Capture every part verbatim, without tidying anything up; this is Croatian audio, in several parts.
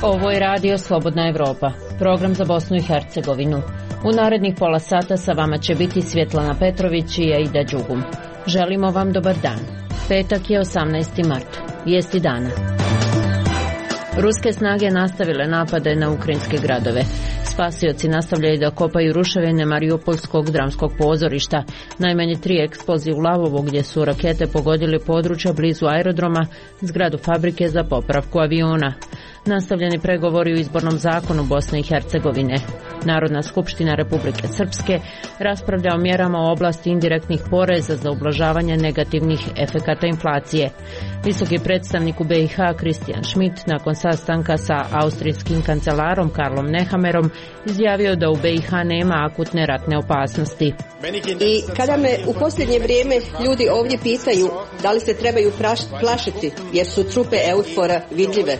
Ovo je radio Slobodna Evropa, program za Bosnu i Hercegovinu. U narednih pola sata sa vama će biti Svjetlana Petrović i Aida Đugum. Želimo vam dobar dan. Petak je osamnaesti mart. Vijesti dana. Ruske snage nastavile napade na ukrajinske gradove. Spasioci nastavljaju da kopaju ruševine Mariupolskog dramskog pozorišta. Najmanje tri eksplozije u Lavovu gdje su rakete pogodili područja blizu aerodroma, zgradu fabrike za popravku aviona. Nastavljeni pregovori u izbornom zakonu Bosne i Hercegovine. Narodna skupština Republike Srpske raspravlja o mjerama u oblasti indirektnih poreza za ublažavanje negativnih efekata inflacije. Visoki predstavnik u B i H Kristijan Schmidt nakon sastanka sa austrijskim kancelarom Karlom Nehammerom izjavio da u B i H nema akutne ratne opasnosti. I kada me u posljednje vrijeme ljudi ovdje pitaju da li se trebaju plašiti jer su trupe Eufora vidljive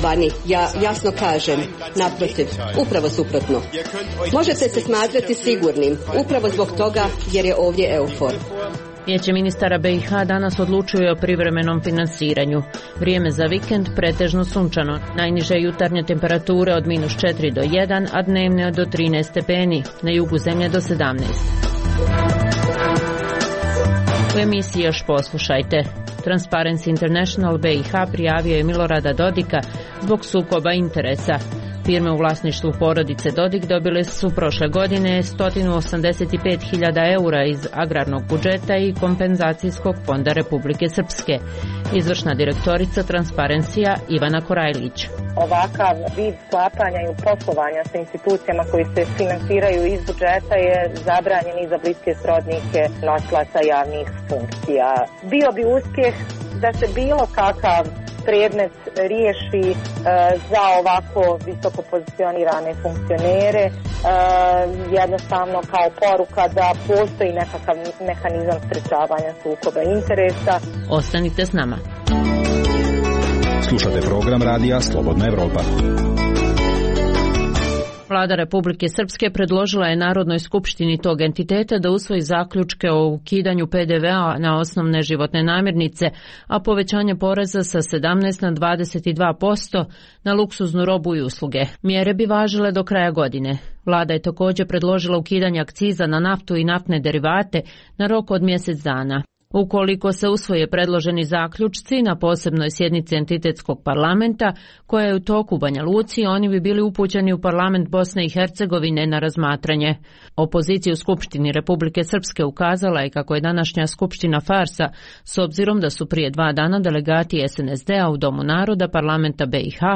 vani, ja jasno kažem, naprotiv, upravo suprotno. Možete se smatrati sigurnim, upravo zbog toga jer je ovdje Eufor. Vijeće ministara B i H danas odlučuje o privremenom finansiranju. Vrijeme za vikend pretežno sunčano. Najniže jutarnje temperature od minus četiri do jedan, a dnevne do trinaest stepeni. Na jugu zemlje do sedamnaest. U emisiji još poslušajte. Transparency International B i H prijavio je Milorada Dodika zbog sukoba interesa. Firme u vlasništvu porodice Dodik dobile su prošle godine sto osamdeset pet hiljada eura iz agrarnog budžeta i kompenzacijskog fonda Republike Srpske. Izvršna direktorica Transparencija Ivana Korajlić. Ovakav vid sklapanja i poslovanja sa institucijama koji se finansiraju iz budžeta je zabranjen i za bliske srodnike nosilaca javnih funkcija. Bio bi uspjeh da se bilo kakav predmet riješi e, za ovako visoko pozicionirane funkcionere, e, jednostavno kao poruka da postoji nekakav mehanizam sprečavanja sukoba interesa. Ostanite s nama. Slušate program radija Slobodna Evropa. Vlada Republike Srpske predložila je Narodnoj skupštini tog entiteta da usvoji zaključke o ukidanju P D V-a na osnovne životne namirnice, a povećanje poreza sa sedamnaest na dvadeset dva posto na luksuznu robu i usluge. Mjere bi važile do kraja godine. Vlada je također predložila ukidanje akciza na naftu i naftne derivate na rok od mjesec dana. Ukoliko se usvoje predloženi zaključci na posebnoj sjednici entitetskog parlamenta, koja je u toku u Banja Luci, oni bi bili upućeni u parlament Bosne i Hercegovine na razmatranje. Opozicija u Skupštini Republike Srpske ukazala je kako je današnja skupština farsa, s obzirom da su prije dva dana delegati S N S D-a u Domu naroda parlamenta B i H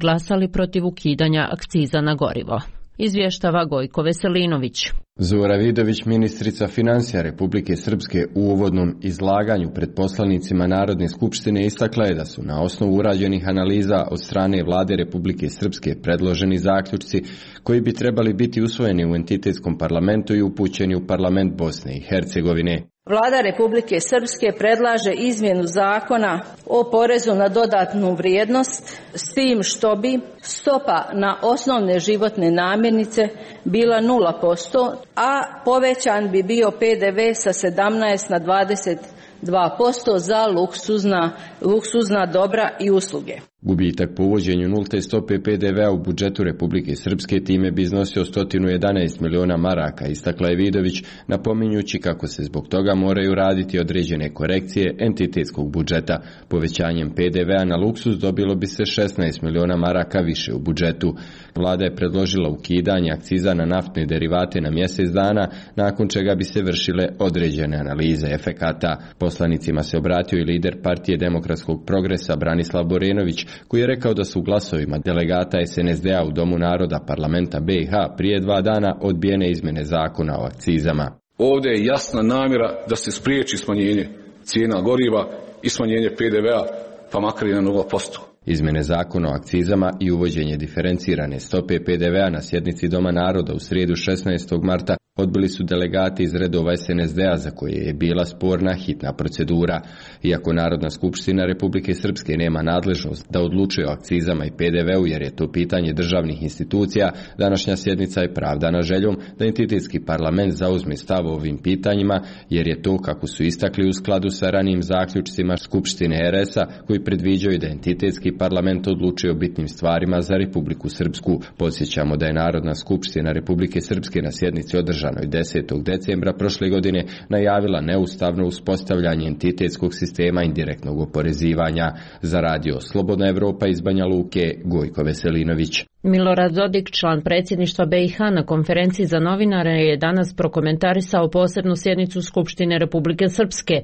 glasali protiv ukidanja akciza na gorivo. Izvještava Gojko Veselinović. Zora Vidović, ministrica financija Republike Srpske, u uvodnom izlaganju pred poslanicima Narodne skupštine istakla je da su na osnovu urađenih analiza od strane Vlade Republike Srpske predloženi zaključci koji bi trebali biti usvojeni u entitetskom parlamentu i upućeni u parlament Bosne i Hercegovine. Vlada Republike Srpske predlaže izmjenu zakona o porezu na dodatnu vrijednost s tim što bi stopa na osnovne životne namirnice bila nula posto, a povećan bi bio P D V sa sedamnaest na dvadeset dva posto za luksuzna, luksuzna dobra i usluge. Gubitak po uvođenju nulte stope P D V-a u budžetu Republike Srpske time bi iznosio sto jedanaest miliona maraka, istakla je Vidović, napominjući kako se zbog toga moraju raditi određene korekcije entitetskog budžeta. Povećanjem P D V-a na luksuz dobilo bi se šesnaest miliona maraka više u budžetu. Vlada je predložila ukidanje akciza na naftne derivate na mjesec dana, nakon čega bi se vršile određene analize efekata. Poslanicima se obratio i lider Partije demokratskog progresa Branislav Borenović, koji je rekao da su glasovima delegata S N S D-a u Domu naroda parlamenta B i H prije dva dana odbijene izmjene zakona o akcizama. Ovdje je jasna namjera da se spriječi smanjenje cijena goriva i smanjenje P D V-a, pa makar i na nula posto. Izmjene zakona o akcizama i uvođenje diferencirane stope P D V-a na sjednici Doma naroda u srijedu šesnaestog marta odbili su delegati iz redova es en es de a za koje je bila sporna hitna procedura. Iako Narodna skupština Republike Srpske nema nadležnost da odlučuje o akcizama i pe de veu jer je to pitanje državnih institucija, današnja sjednica je pravdana željom da entitetski parlament zauzme stav o ovim pitanjima jer je to, kako su istakli, u skladu sa ranijim zaključcima Skupštine er es a koji predviđaju da entitetski parlament odlučuje o bitnim stvarima za Republiku Srpsku. Podsjećamo da je Narodna skupština Republike Srpske na sjednici održanoj desetog decembra prošle godine najavila neustavno uspostavljanje entitetskog sistema indirektnog oporezivanja. Za radio Slobodna Evropa iz Banja Luke, Gojko Veselinović. Milorad Dodik, član predsjedništva be i ha, na konferenciji za novinare je danas prokomentarisao posebnu sjednicu Skupštine Republike Srpske,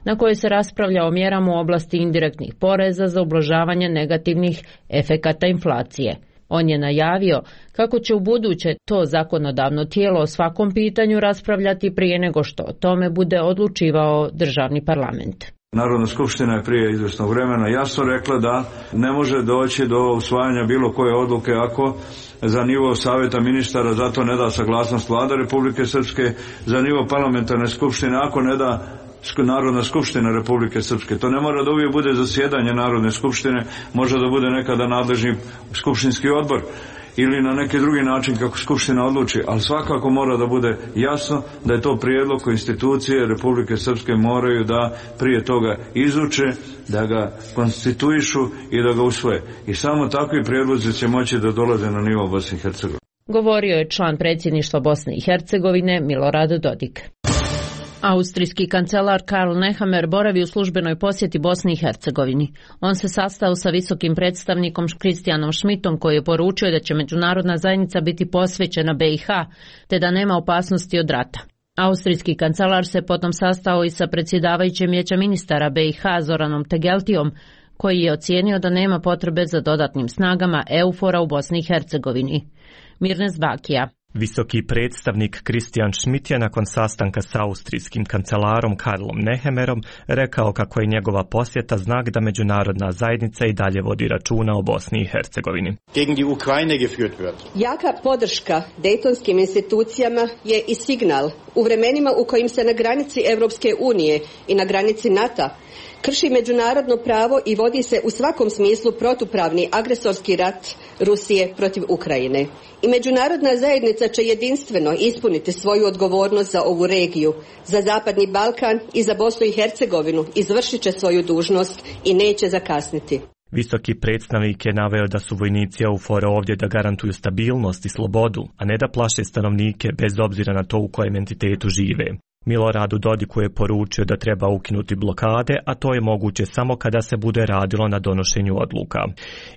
na kojoj se raspravlja o mjerama u oblasti indirektnih poreza za ublažavanje negativnih efekata inflacije. On je najavio kako će u buduće to zakonodavno tijelo o svakom pitanju raspravljati prije nego što o tome bude odlučivao državni parlament. Narodna skupština je prije izvjesnog vremena jasno rekla da ne može doći do usvajanja bilo koje odluke ako za nivo savjeta ministara za to ne da saglasnost Vlada Republike Srpske, za nivo parlamentarne skupštine ako ne da Narodna skupština Republike Srpske. To ne mora da uvijek bude zasjedanje Narodne skupštine, može da bude nekada nadležni skupštinski odbor ili na neki drugi način kako skupština odluči, ali svakako mora da bude jasno da je to prijedlog koji institucije Republike Srpske moraju da prije toga izuče, da ga konstituišu i da ga usvoje. I samo takvi prijedlozi će moći da dolaze na nivo Bosne i Hercegovine. Govorio je član predsjedništva Bosne i Hercegovine Milorad Dodik. Austrijski kancelar Karl Nehammer boravi u službenoj posjeti Bosni i Hercegovini. On se sastao sa visokim predstavnikom Kristijanom Schmidtom koji je poručio da će međunarodna zajednica biti posvećena be i ha, te da nema opasnosti od rata. Austrijski kancelar se potom sastao i sa predsjedavajućem vijeća ministara be i ha Zoranom Tegeltijom, koji je ocijenio da nema potrebe za dodatnim snagama EUFOR-a u Bosni i Hercegovini. Mirnes Bakija. Visoki predstavnik Kristijan Schmidt je nakon sastanka s austrijskim kancelarom Karlom Nehammerom rekao kako je njegova posjeta znak da međunarodna zajednica i dalje vodi računa o Bosni i Hercegovini. Jaka podrška dejtonskim institucijama je i signal u vremenima u kojim se na granici Europske unije i na granici NATO krši međunarodno pravo i vodi se u svakom smislu protupravni agresorski rat Rusije protiv Ukrajine. I međunarodna zajednica će jedinstveno ispuniti svoju odgovornost za ovu regiju, za Zapadni Balkan i za Bosnu i Hercegovinu, izvršit će svoju dužnost i neće zakasniti. Visoki predstavnik je naveo da su vojnici EUFOR-a ovdje da garantuju stabilnost i slobodu, a ne da plaše stanovnike bez obzira na to u kojem entitetu žive. Miloradu Dodiku je poručio da treba ukinuti blokade, a to je moguće samo kada se bude radilo na donošenju odluka.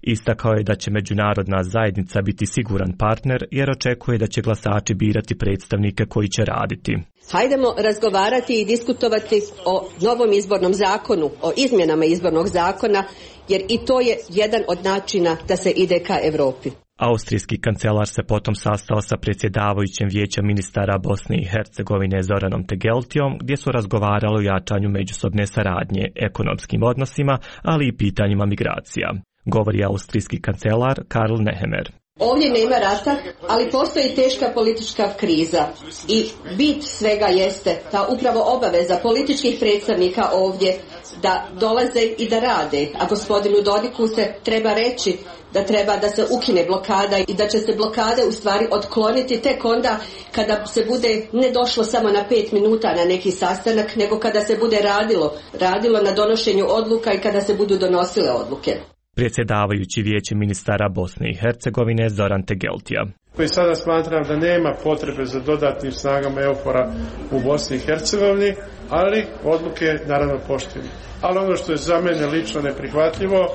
Istakao je da će međunarodna zajednica biti siguran partner jer očekuje da će glasači birati predstavnike koji će raditi. Hajdemo razgovarati i diskutovati o novom izbornom zakonu, o izmjenama izbornog zakona, jer i to je jedan od načina da se ide ka Europi. Austrijski kancelar se potom sastao sa predsjedavajućim vijeća ministara Bosne i Hercegovine Zoranom Tegeltijom, gdje su razgovarali o jačanju međusobne saradnje, ekonomskim odnosima, ali i pitanjima migracija. Govori austrijski kancelar Karl Nehammer. Ovdje nema rata, ali postoji teška politička kriza i bit svega jeste ta upravo obaveza političkih predstavnika ovdje da dolaze i da rade, a gospodinu Dodiku se treba reći da treba da se ukine blokada i da će se blokade u stvari otkloniti tek onda kada se bude ne došlo samo na pet minuta na neki sastanak, nego kada se bude radilo, radilo na donošenju odluka i kada se budu donosile odluke. Predsjedavajući vijeće ministara Bosne i Hercegovine Zoran Tegeltija. Koji sada smatram da nema potrebe za dodatnim snagama EUFOR-a u Bosni i Hercegovini, ali odluke naravno poštujem. Ali ono što je za mene lično neprihvatljivo,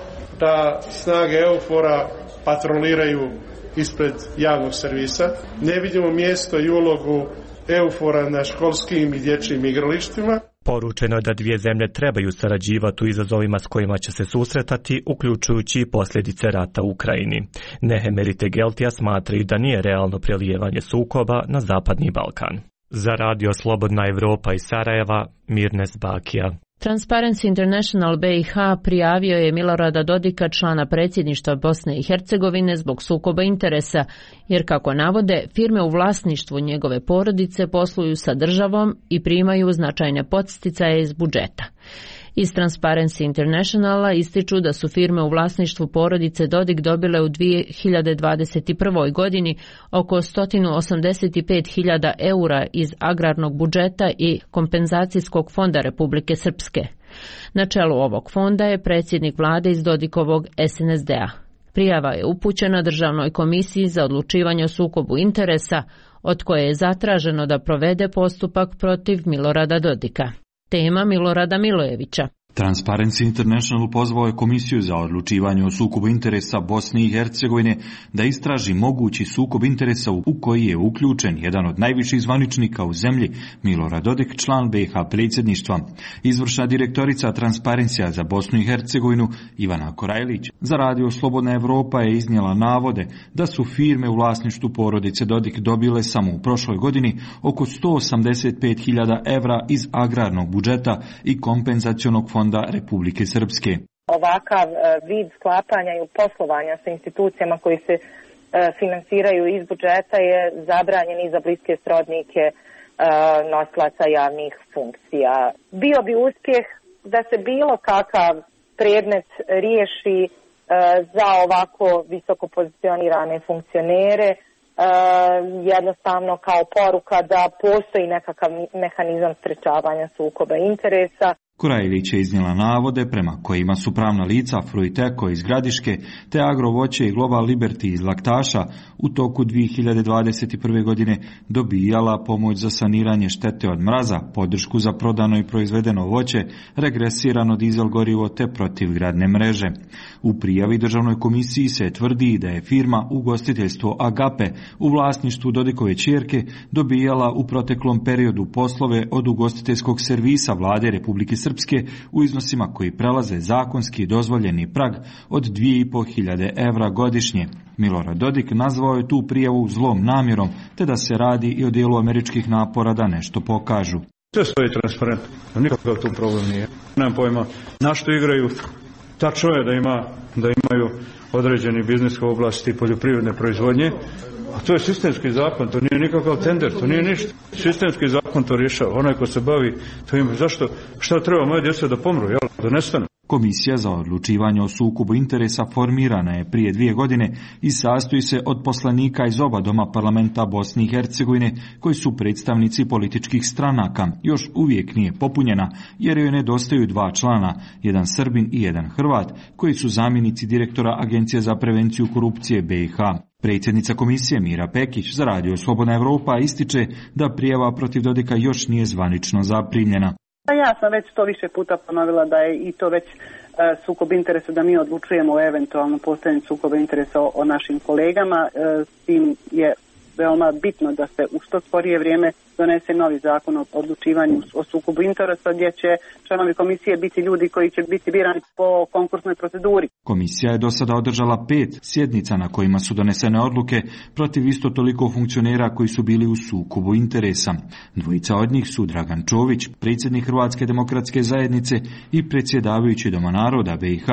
da snage EUFOR-a patroliraju ispred javnog servisa. Ne vidimo mjesto i ulogu EUFOR-a na školskim i dječjim igralištima. Poručeno je da dvije zemlje trebaju sarađivati u izazovima s kojima će se susretati, uključujući i posljedice rata u Ukrajini. Nehammer i Tegeltija smatraju da nije realno prelijevanje sukoba na Zapadni Balkan. Za radio Slobodna Evropa iz Sarajeva, Mirnes Bakija. Transparency International B i H prijavio je Milorada Dodika, člana predsjedništva Bosne i Hercegovine, zbog sukoba interesa, jer kako navode, firme u vlasništvu njegove porodice posluju sa državom i primaju značajne podsticaje iz budžeta. Iz Transparency Internationala ističu da su firme u vlasništvu porodice Dodik dobile u dvije hiljade dvadeset prvoj. godini oko sto osamdeset pet hiljada eura iz agrarnog budžeta i kompenzacijskog fonda Republike Srpske. Na čelu ovog fonda je predsjednik vlade iz Dodikovog S N S D-a. Prijava je upućena Državnoj komisiji za odlučivanje o sukobu interesa, od koje je zatraženo da provede postupak protiv Milorada Dodika. Tema Milorada Milojevića. Transparency International pozvao je Komisiju za odlučivanje o sukobu interesa Bosne i Hercegovine da istraži mogući sukob interesa u koji je uključen jedan od najviših zvaničnika u zemlji, Milorad Dodik, član B i H predsjedništva. Izvršna direktorica Transparencija za Bosnu i Hercegovinu, Ivana Korajlić, za radio Slobodna Evropa je iznijela navode da su firme u vlasništvu porodice Dodik dobile samo u prošloj godini oko sto osamdeset pet hiljada evra iz agrarnog budžeta i kompenzacionog fonda Fonda Republike Srpske. Ovakav vid sklapanja i poslovanja sa institucijama koji se finansiraju iz budžeta je zabranjen i za bliske srodnike nosilaca javnih funkcija. Bio bi uspjeh da se bilo kakav predmet riješi za ovako visoko pozicionirane funkcionere, jednostavno kao poruka da postoji nekakav mehanizam sprečavanja sukoba interesa. Korajlić je iznijela navode prema kojima su pravna lica Fruiteko iz Gradiške te Agrovoće i Global Liberty iz Laktaša u toku dvije hiljade dvadeset prve. godine dobijala pomoć za saniranje štete od mraza, podršku za prodano i proizvedeno voće, regresirano dizel gorivo te protivgradne mreže. U prijavi Državnoj komisiji se tvrdi da je firma Ugostiteljstvo Agape u vlasništvu Dodikove ćerke dobijala u proteklom periodu poslove od ugostiteljskog servisa Vlade Republike Srpske u iznosima koji prelaze zakonski dozvoljeni prag od dvije i po hiljade evra godišnje. Milorad Dodik nazvao je tu prijavu zlom namjerom, te da se radi i o dijelu američkih napora da nešto pokažu. Sve stoji transparentno, nikakav tu problem nije. Nemam pojma na što igraju. Tačno je da, ima, da imaju određeni biznis u oblasti poljoprivredne proizvodnje, a to je sistemski zakon, to nije nikakav tender, to nije ništa. Sistemski zakon to rješava, onaj ko se bavi, to ima, zašto, šta treba moje djeca da pomru, jel, da nestanu? Komisija za odlučivanje o sukobu interesa formirana je prije dvije godine i sastoji se od poslanika iz oba doma parlamenta Bosne i Hercegovine koji su predstavnici političkih stranaka. Još uvijek nije popunjena jer joj nedostaju dva člana, jedan Srbin i jedan Hrvat, koji su zamjenici direktora Agencije za prevenciju korupcije B i H. Predsjednica komisije Mira Pekić za radio Slobodna Evropa ističe da prijava protiv Dodika još nije zvanično zaprimljena. Ja sam već to više puta ponovila da je i to već e, sukob interesa, da mi odlučujemo o eventualno postojanju sukoba interesa o, o našim kolegama. E, s tim je veoma bitno da se u što skorije vrijeme donese novi zakon o odlučivanju o sukobu interesa gdje će članovi komisije biti ljudi koji će biti birani po konkursnoj proceduri. Komisija je do sada održala pet sjednica na kojima su donesene odluke protiv isto toliko funkcionera koji su bili u sukobu interesa. Dvojica od njih su Dragan Čović, predsjednik Hrvatske demokratske zajednice i predsjedavajući Doma naroda B i H,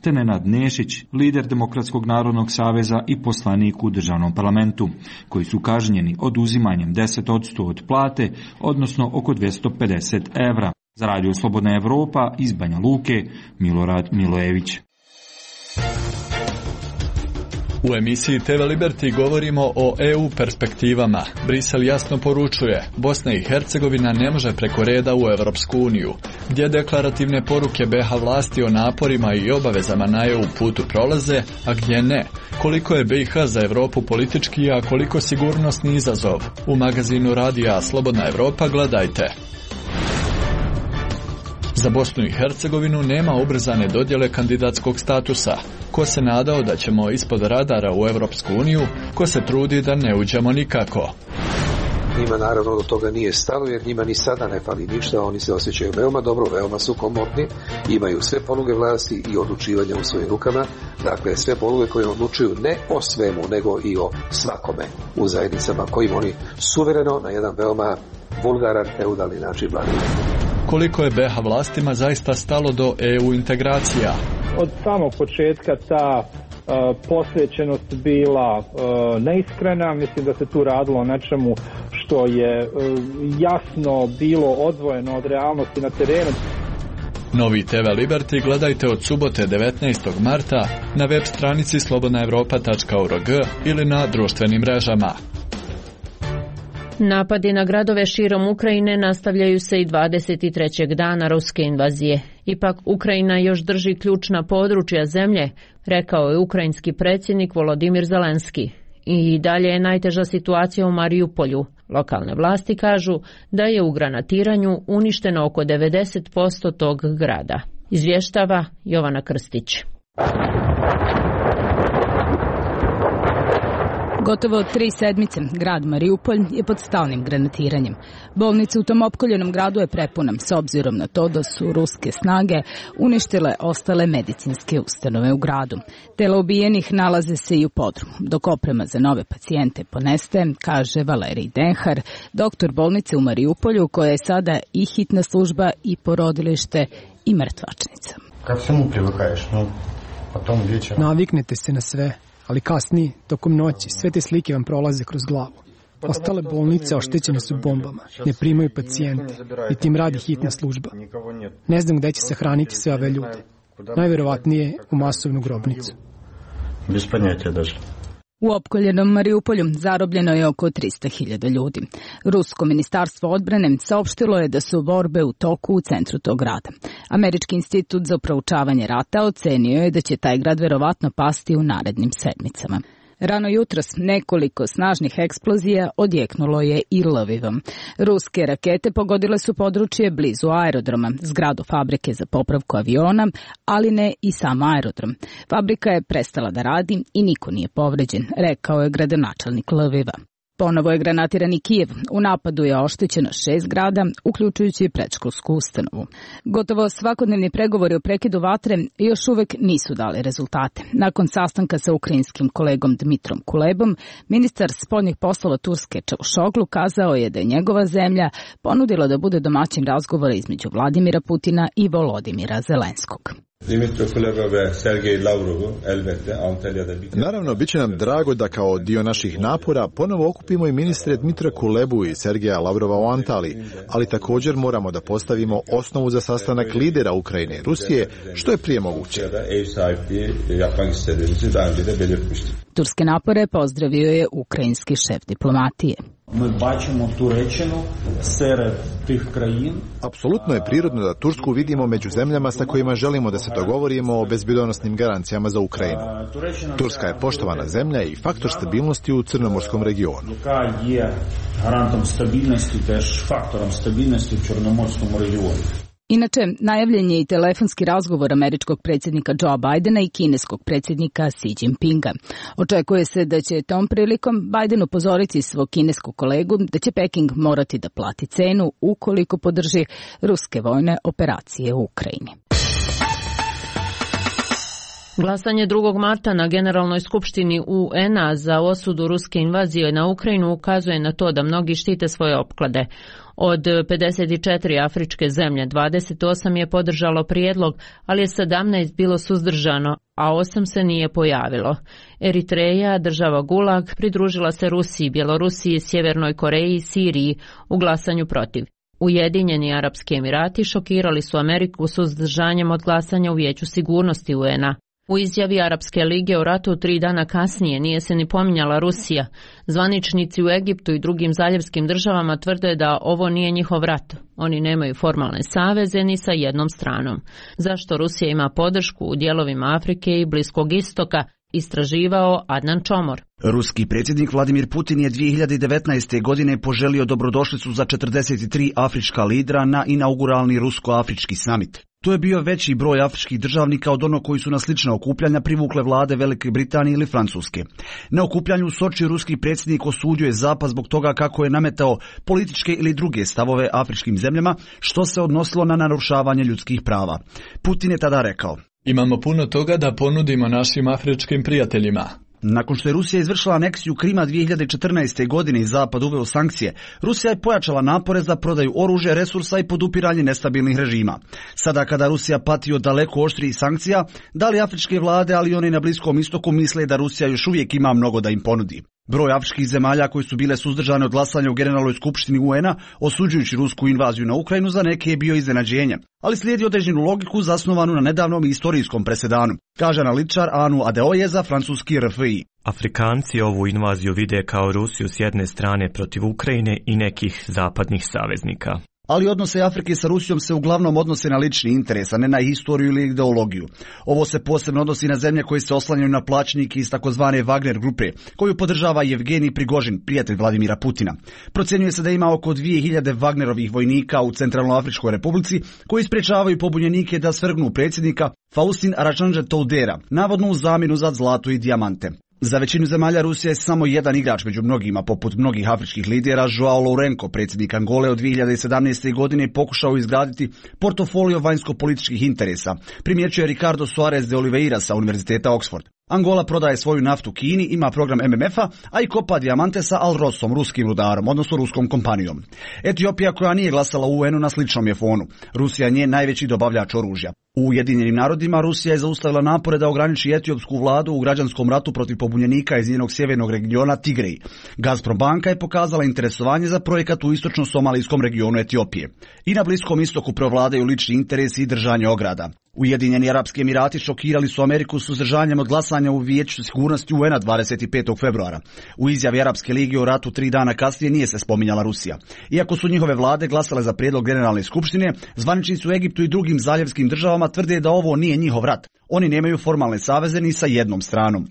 te Nenad Nešić, lider Demokratskog narodnog saveza i poslanik u državnom parlamentu, koji su kažnjeni oduzimanjem deset posto od plate, odnosno oko dvjesto pedeset evra. Za radio Slobodna Evropa iz Banja Luke, Milorad Milojević. U emisiji T V Liberty govorimo o E U perspektivama. Brisel jasno poručuje, Bosna i Hercegovina ne može preko reda u Europsku uniju. Gdje deklarativne poruke B i H vlasti o naporima i obavezama na E U putu prolaze, a gdje ne? Koliko je B i H za Europu politički, a koliko sigurnosni izazov? U magazinu Radija Slobodna Evropa gledajte. Za Bosnu i Hercegovinu nema ubrzane dodjele kandidatskog statusa. Ko se nadao da ćemo ispod radara u Europsku uniju, ko se trudi da ne uđemo nikako. Njima naravno do toga nije stalo jer njima ni sada ne fali ništa, oni se osjećaju veoma dobro, veoma su komotni, imaju sve poluge vlasti i odlučivanja u svojim rukama, dakle sve poluge koje odlučuju ne o svemu nego i o svakome u zajednicama kojim oni suvereno na jedan veoma vulgaran, feudalni način vladaju. koliko je be ha vlastima zaista stalo do E U integracija. Od samog početka ta uh, posvećenost bila uh, neiskrena, mislim da se tu radilo o nečemu što je uh, jasno bilo odvojeno od realnosti na terenu. Novi te ve Liberty gledajte od subote devetnaestog marta na web stranici slobodna europa tačka org ili na društvenim mrežama. Napadi na gradove širom Ukrajine nastavljaju se i dvadeset trećeg dana ruske invazije. Ipak Ukrajina još drži ključna područja zemlje, rekao je ukrajinski predsjednik Volodimir Zelenski. I dalje je najteža situacija u Mariupolju. Lokalne vlasti kažu da je u granatiranju uništeno oko devedeset posto tog grada. Izvještava Jovana Krstić. Gotovo tri sedmice grad Mariupolj je pod stalnim granatiranjem. Bolnica u tom opkoljenom gradu je prepuna s obzirom na to da su ruske snage uništile ostale medicinske ustanove u gradu. Tela ubijenih nalaze se i u podrumu, dok oprema za nove pacijente ponestaje, kaže Valerij Denhar, doktor bolnice u Mariupolju koja je sada i hitna služba i porodilište i mrtvačnica. Kako se mu privukaješ? No, potom večera. Naviknete se na sve. Ali kasnije, tokom noći, sve te slike vam prolaze kroz glavu. Ostale bolnice oštećene su bombama, ne primaju pacijente, i tim radi hitna služba. Ne znam gde će se hraniti sve ove ljude. Najverovatnije u masovnu grobnicu. Bez panjatja daže. U opkoljenom Mariupolju zarobljeno je oko trista hiljada ljudi. Rusko ministarstvo odbrane saopštilo je da su borbe u toku u centru tog grada. Američki institut za proučavanje rata ocenio je da će taj grad verovatno pasti u narednim sedmicama. Rano jutros nekoliko snažnih eksplozija odjeknulo je i Lvivom. Ruske rakete pogodile su područje blizu aerodroma, zgradu fabrike za popravku aviona, ali ne i sam aerodrom. Fabrika je prestala da radi i niko nije povređen, rekao je gradonačelnik Lviva. Ponovo je granatiran i Kijev. U napadu je oštećeno šest zgrada, uključujući i predškolsku ustanovu. Gotovo svakodnevni pregovori o prekidu vatre još uvek nisu dali rezultate. Nakon sastanka sa ukrajinskim kolegom Dmitrom Kulebom, ministar spoljnih poslova Turske Čavušoglu kazao je da je njegova zemlja ponudila da bude domaćin razgovora između Vladimira Putina i Volodimira Zelenskog. Naravno, bit će nam drago da kao dio naših napora ponovo okupimo i ministre Dmitra Kulebu i Sergeja Lavrova u Antaliji, ali također moramo da postavimo osnovu za sastanak lidera Ukrajine i Rusije, što je prije moguće. Turske napore pozdravio je ukrajinski šef diplomatije. Apsolutno je prirodno da Tursku vidimo među zemljama sa kojima želimo da se dogovorimo o bezbjedonosnim garancijama za Ukrajinu. Turska je poštovana zemlja i faktor stabilnosti u Crnomorskom regionu. Inače, najavljen je i telefonski razgovor američkog predsjednika Joea Bidena i kineskog predsjednika Xi Jinpinga. Očekuje se da će tom prilikom Biden upozoriti svog kineskog kolegu da će Peking morati da plati cenu ukoliko podrži ruske vojne operacije u Ukrajini. Glasanje drugog marta na Generalnoj skupštini U En a za osudu ruske invazije na Ukrajinu ukazuje na to da mnogi štite svoje opklade. Od pedeset četiri afričke zemlje, dvadeset osam je podržalo prijedlog, ali je sedamnaest bilo suzdržano, a osam se nije pojavilo. Eritreja, država Gulag, pridružila se Rusiji, Bjelorusiji, Sjevernoj Koreji i Siriji u glasanju protiv. Ujedinjeni Arapski Emirati šokirali su Ameriku suzdržanjem od glasanja u Vijeću sigurnosti U En a. U izjavi Arapske lige o ratu tri dana kasnije nije se ni pominjala Rusija. Zvaničnici u Egiptu i drugim zaljevskim državama tvrde da ovo nije njihov rat. Oni nemaju formalne saveze ni sa jednom stranom. Zašto Rusija ima podršku u dijelovima Afrike i Bliskog istoka, istraživao Adnan Čomor. Ruski predsjednik Vladimir Putin je dvije hiljade devetnaeste. godine poželio dobrodošlicu za četrdeset tri afrička lidera na inauguralni rusko-afrički samit. To je bio veći broj afričkih državnika od onog koji su na slična okupljanja privukle vlade Velike Britanije ili Francuske. Na okupljanju u Soči ruski predsjednik osudio je Zapad zbog toga kako je nametao političke ili druge stavove afričkim zemljama, što se odnosilo na narušavanje ljudskih prava. Putin je tada rekao: Imamo puno toga da ponudimo našim afričkim prijateljima. Nakon što je Rusija izvršila aneksiju Krima dvije hiljade četrnaeste. godine i Zapad uveo sankcije, Rusija je pojačala napore za prodaju oružja, resursa i podupiranje nestabilnih režima. Sada kada Rusija pati od daleko oštrijih sankcija, da li afričke vlade, ali i oni na Bliskom istoku misle da Rusija još uvijek ima mnogo da im ponudi? Broj afričkih zemalja koji su bile suzdržane od glasanja u Generalnoj skupštini U N-a osuđujući rusku invaziju na Ukrajinu za neke je bio iznenađenje, ali slijedi određenu logiku zasnovanu na nedavnom istorijskom presedanu, kaže analitičar Anu Adeoye za francuski R F I. Afrikanci ovu invaziju vide kao Rusiju s jedne strane protiv Ukrajine i nekih zapadnih saveznika. Ali odnose Afrike sa Rusijom se uglavnom odnose na lični interes, a ne na historiju ili ideologiju. Ovo se posebno odnosi na zemlje koje se oslanjaju na plaćnike iz takozvane Wagner grupe, koju podržava Jevgenij Prigožin, prijatelj Vladimira Putina. Procjenjuje se da ima oko dvije hiljade Wagnerovih vojnika u Centralnoafričkoj republici, koji sprečavaju pobunjenike da svrgnu predsjednika Faustin Archange Toudera, navodno u zamjenu za zlato i dijamante. Za većinu zemalja Rusija je samo jedan igrač među mnogima, poput mnogih afričkih lidera. Joao Lourenco, predsjednik Angole, od dvije hiljade sedamnaeste. godine pokušao izgraditi portofolio vanjsko-političkih interesa, primjećuje Ricardo Soares de Oliveira sa Univerziteta Oxford. Angola prodaje svoju naftu Kini, ima program M M F-a, a i kopa dijamante sa Al Rosom, ruskim rudarom, odnosno ruskom kompanijom. Etiopija, koja nije glasala u U N-u, na sličnom je fonu. Rusija je njen najveći dobavljač oružja. U Ujedinjenim narodima Rusija je zaustavila napore da ograniči etiopsku vladu u građanskom ratu protiv pobunjenika iz njenog sjevernog regiona Tigrej. Gazprom banka je pokazala interesovanje za projekat u istočno-somalijskom regionu Etiopije. I na Bliskom istoku prevladaju lični interesi i držanje ograda. Ujedinjeni Arapski Emirati šokirali su Ameriku suzdržanjem od glasanja u Vijeću sigurnosti U N-a dvadeset petog februara. U izjavi Arapske lige o ratu tri dana kasnije nije se spominjala Rusija. Iako su njihove vlade glasale za prijedlog Generalne skupštine, zvaničnici u Egiptu i drugim zaljevskim državama tvrde da ovo nije njihov rat. Oni nemaju formalne saveze ni sa jednom stranom.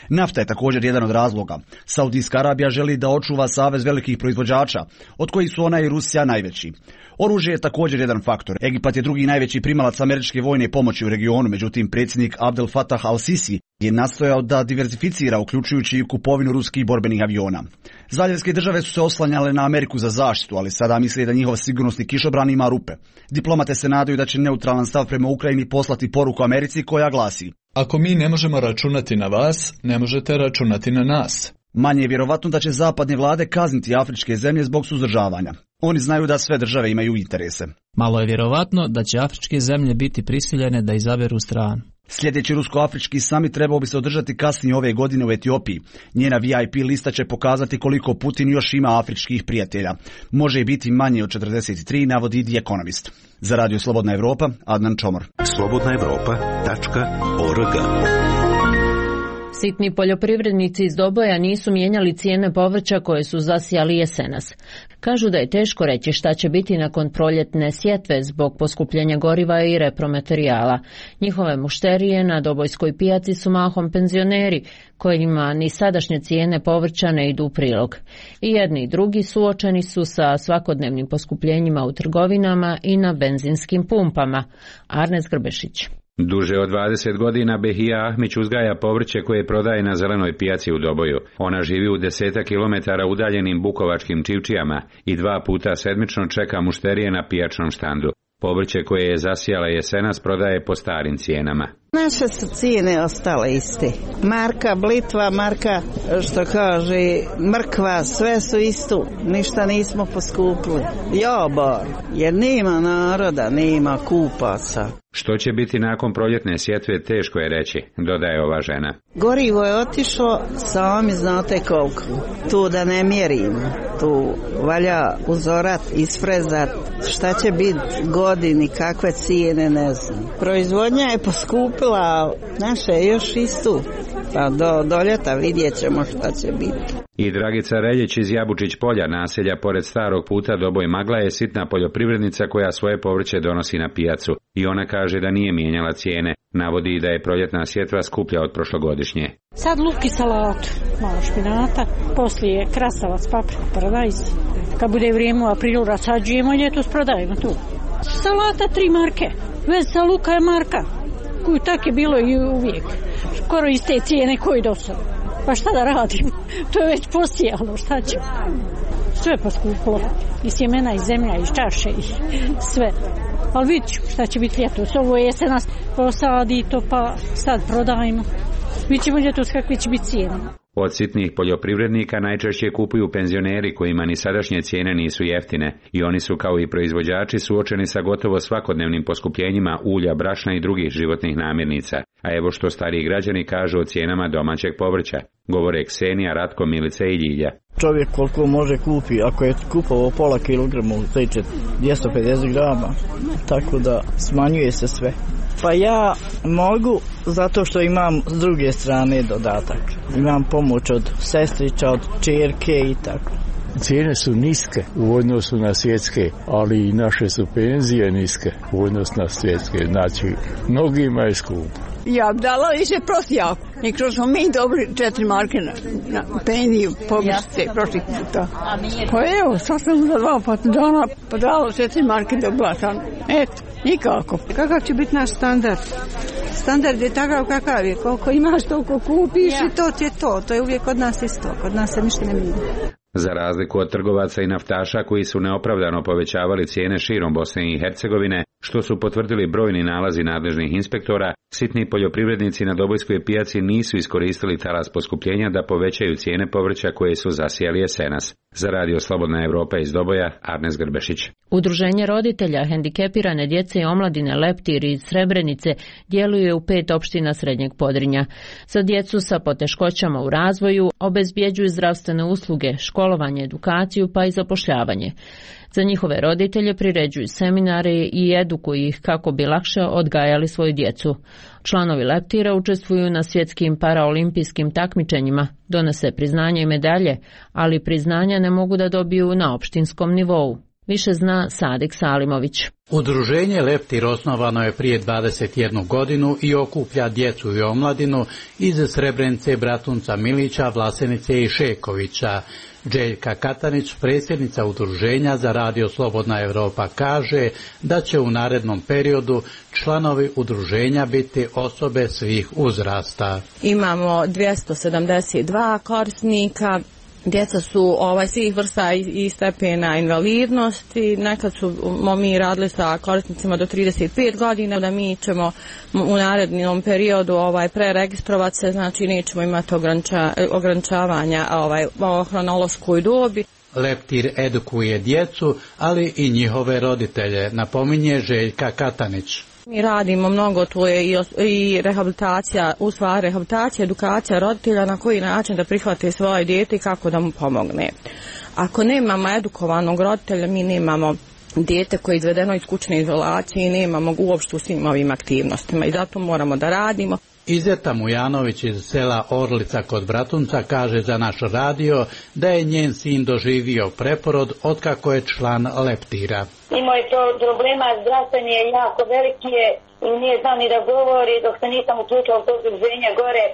Nafta je također jedan od razloga. Saudijska Arabija želi da očuva savez velikih proizvođača, od kojih su ona i Rusija najveći. Oružje je također jedan faktor. Egipat je drugi najveći primalac američke vojne pomoći u regionu, međutim predsjednik Abdel Fattah al-Sisi je nastojao da diversificira, uključujući i kupovinu ruskih borbenih aviona. Zaljevske države su se oslanjale na Ameriku za zaštitu, ali sada misle da njihov sigurnosni kišobran ima rupe. Diplomate se nadaju da će neutralan stav prema Ukrajini poslati poruku Americi koja glasi: ako mi ne možemo računati na vas, ne možete računati na nas. Manje je vjerovatno da će zapadne vlade kazniti afričke zemlje zbog suzdržavanja. Oni znaju da sve države imaju interese. Malo je vjerovatno da će afričke zemlje biti prisiljene da izaberu stranu. Sljedeći rusko-afrički samit trebao bi se održati kasnije ove godine u Etiopiji. Njena V I P lista će pokazati koliko Putin još ima afričkih prijatelja. Može biti manje od četrdeset tri, navodi The Economist. Za Radio Slobodna Evropa, Adnan Čomor. slobodna evropa tačka org. Sitni poljoprivrednici iz Doboja nisu mijenjali cijene povrća koje su zasijali jesenas. Kažu da je teško reći šta će biti nakon proljetne sjetve zbog poskupljenja goriva i repromaterijala. Njihove mušterije na dobojskoj pijaci su mahom penzioneri, kojima ni sadašnje cijene povrća ne idu u prilog. I jedni i drugi suočeni su sa svakodnevnim poskupljenjima u trgovinama i na benzinskim pumpama. Arnes Grbešić. Duže od dvadeset godina Behija Ahmić uzgaja povrće koje prodaje na zelenoj pijaci u Doboju. Ona živi u deseta kilometara udaljenim bukovačkim čivčijama i dva puta sedmično čeka mušterije na pijačnom štandu. Povrće koje je zasijala jesenas prodaje po starim cijenama. Naše su cijene ostale iste. Marka, blitva, marka, što kaže, mrkva, sve su isto. Ništa nismo poskupili. Jobar, jer nema naroda, nema kupaca. Što će biti nakon proljetne sjetve, teško je reći, dodaje ova žena. Gorivo je otišlo, sami znate koliko. Tu da ne mjerimo. Tu valja uzorat, isfrezat. Šta će biti godini, kakve cijene, ne znam. Proizvodnja je poskupila, naše je još istu. Pa do, do ljeta vidjet ćemo šta će biti. I Dragica Reljić iz Jabučić polja, naselja pored starog puta Doboj Magla, je sitna poljoprivrednica koja svoje povrće donosi na pijacu. I ona kaže da nije mijenjala cijene. Navodi da je proljetna sjetva skuplja od prošlogodišnje. Sad luk i salatu, malo špinata, poslije krastavac, papriku, paradajz. Kad bude vrijeme u aprilu rasađujemo, ljetos prodajemo tu. Salata tri marke, veza luka je marka, koju tak je bilo i uvijek. Skoro iste cijene koji do sada. Pa šta da radim? To je već posijalo, šta ću? Sve poskupilo. I sjemena, i zemlja, i čaše, i sve. Ali vidit ću šta će biti ljetos. Ovo je se nas posadi to, pa sad prodajemo. Mi ćemo gdje tu kakve će biti cijene. Od sitnih poljoprivrednika najčešće kupuju penzioneri kojima ni sadašnje cijene nisu jeftine i oni su kao i proizvođači suočeni sa gotovo svakodnevnim poskupljenjima ulja, brašna i drugih životnih namirnica. A evo što stariji građani kažu o cijenama domaćeg povrća. Govore Ksenija, Ratko, Milica i Ljilja. Čovjek koliko može kupi, ako je kupovao pola kilograma, znači dvjesto pedeset grama, tako da smanjuje se sve. Pa ja mogu zato što imam s druge strane dodatak. Imam pomoć od sestrića, od čerke i tako. Cijene su niske u odnosu na svjetske, ali i naše su penzije niske u odnosu na svjetske. Znači, mnogima je skupo. Ja bi dala više prosti jako. I kroz smo mi dobili četiri marke na, na penziju povrste prošli puta. Pa evo, sad sam za dva pata dana pa dala četiri marke dobila sam. Eto, nikako. Kakav će biti naš standard? Standard je takav kakav je. Koliko imaš, toliko kupiš ja. I to ti je to. To je uvijek kod nas isto. Kod nas se ništa ne mijenja. Za razliku od trgovaca i naftaša koji su neopravdano povećavali cijene širom Bosne i Hercegovine, što su potvrdili brojni nalazi nadležnih inspektora, sitni poljoprivrednici na Dobojskoj pijaci nisu iskoristili talas poskupljenja da povećaju cijene povrća koje su zasijali jesenas. Za Radio Slobodna Evropa iz Doboja, Arnes Grbešić. Udruženje roditelja hendikepirane djece i omladine Leptir iz Srebrenice djeluje u pet opština Srednjeg Podrinja. Za djecu sa poteškoćama u razvoju obezbjeđuju zdravstvene usluge, školovanje, edukaciju pa i zapošljavanje. Za njihove roditelje priređuju seminare i edukuju ih kako bi lakše odgajali svoju djecu. Članovi Leptira učestvuju na svjetskim paraolimpijskim takmičenjima, donose priznanja i medalje, ali priznanja ne mogu da dobiju na opštinskom nivou. Više zna Sadik Salimović. Udruženje Leptir osnovano je prije dvadeset jednu godinu i okuplja djecu i omladinu iz Srebrenice, Bratunca, Milića, Vlasenice i Šekovića. Željka Katanić, predsjednica udruženja za Radio Slobodna Evropa, kaže da će u narednom periodu članovi udruženja biti osobe svih uzrasta. Imamo dvjesto sedamdeset dva korisnika. Djeca su ovaj, svih vrsta i, i stepena invalidnosti. Nekad su mi radili sa korisnicima do trideset pet godina, da mi ćemo u narednom periodu ovaj, preregistrovati se, znači nećemo imati ograniča, ograničavanja ovaj, o hronološkoj dobi. Leptir edukuje djecu, ali i njihove roditelje, napominje Željka Katanić. Mi radimo mnogo, to je i, i rehabilitacija, u stvari rehabilitacija, edukacija roditelja na koji način da prihvate svoje dijete i kako da mu pomogne. Ako nemamo edukovanog roditelja, mi nemamo dijete koje je izvedeno iz kućne izolacije i nemamo uopšte u svim ovim aktivnostima i zato moramo da radimo. Izeta Mujanović iz sela Orlica kod Bratunca kaže za naš radio da je njen sin doživio preporod otkako je član Leptira. Imao je to problema, zdravstveni je jako veliki je i nije znao ni da govori dok se nisam uključila u to udruženje gore.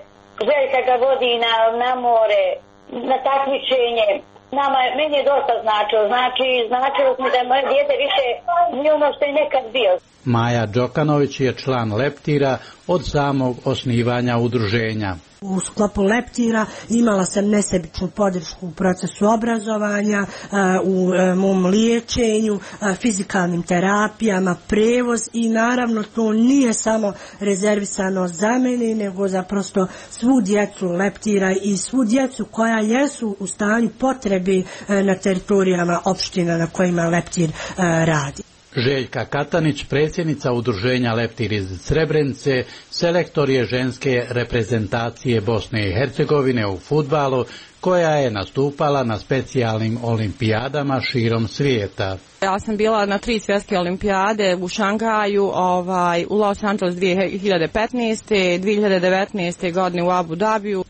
Željka ga vodi na, na more, na takmičenje. Nama, meni je dosta značilo, znači značilo mi da moje dijete više nije ono što je nekad bio. Maja Đokanović je član Leptira od samog osnivanja udruženja. U sklopu Leptira imala sam nesebičnu podršku u procesu obrazovanja, u mom liječenju, fizikalnim terapijama, prevoz i naravno to nije samo rezervisano za mene, nego za prosto svu djecu Leptira i svu djecu koja jesu u stanju potrebe na teritorijama opština na kojima Leptir radi. Željka Katanić, predsjednica udruženja Leptir iz Srebrenice, selektor je ženske reprezentacije Bosne i Hercegovine u fudbalu, koja je nastupala na specijalnim olimpijadama širom svijeta. Ja sam bila na tri svjetske olimpijade u Šangaju, ovaj, u Los Angeles dvije hiljade petnaeste. dvije hiljade devetnaeste. godine u Abu Dhabiju.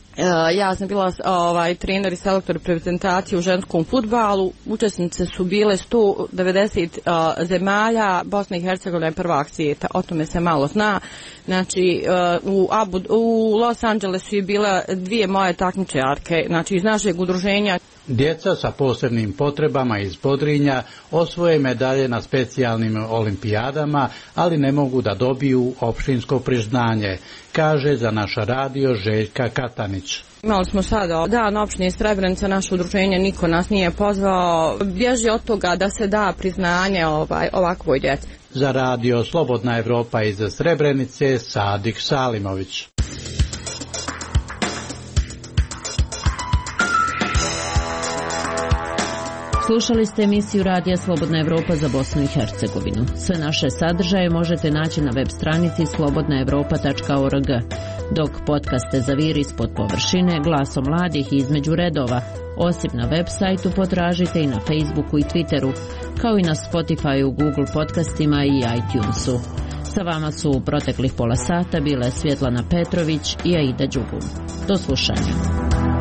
Ja sam bila ovaj, trener i selektor reprezentacije u ženskom fudbalu. Učesnice su bile sto devedeset uh, zemalja, Bosna i Hercegovina je prvak svijeta, o tome se malo zna. Znači, uh, u, Abu, u Los Angelesu je bila dvije moje takmičarke, znači iz našeg udruženja. Djeca sa posebnim potrebama iz Podrinja osvoje medalje na specijalnim olimpijadama, ali ne mogu da dobiju opštinsko priznanje, kaže za naš radio Željka Katanić. Imali smo sada dan opštine Srebrenica, naše udruženje, niko nas nije pozvao, bježi od toga da se da priznanje ovaj, ovakvoj djeci. Za radio Slobodna Evropa iz Srebrenice, Sadik Salimović. Slušali ste emisiju Radija Slobodna Evropa za Bosnu i Hercegovinu. Sve naše sadržaje možete naći na web stranici slobodna evropa tačka org, dok podcaste Zaviri ispod površine, Glasom mladih i Između redova, osim na web sajtu potražite i na Facebooku i Twitteru, kao i na Spotifyu, Google podcastima i iTunesu. Sa vama su u proteklih pola sata bile Svjetlana Petrović i Aida Đugum. Do slušanja.